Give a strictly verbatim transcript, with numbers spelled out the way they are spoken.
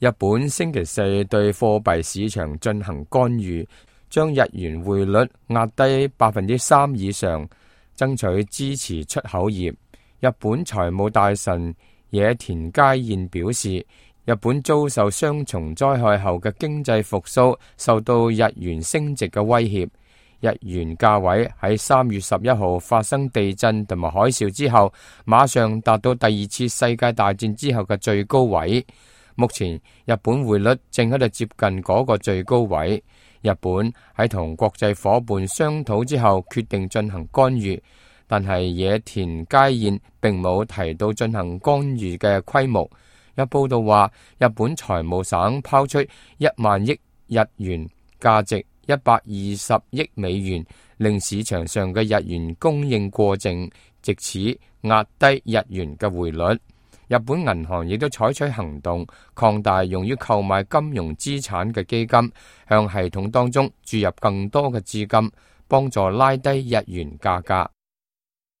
日本星期四對貨幣市場進行干預，將日元匯率壓低百分之三以上，爭取支持出口業。日本財務大臣野田佳彥表示，日本遭受雙重災害後嘅經濟復甦受到日元升值嘅威脅。日元價位喺三月十一號發生地震同埋海嘯之後，馬上達到第二次世界大戰之後嘅最高位。目前日本匯率正喺度接近嗰個最高位。日本喺同國際夥伴商討之後，決定進行干預，但係野田佳彥並冇提到進行干預嘅規模。有報道話，日本財務省拋出一萬億日元，價值一百二十億美元，令市場上嘅日元供應過剩，藉此壓低日元嘅匯率。日本銀行亦都採取行動，擴大用於購買金融資產嘅基金，向系統當中注入更多嘅資金，幫助拉低日元價格。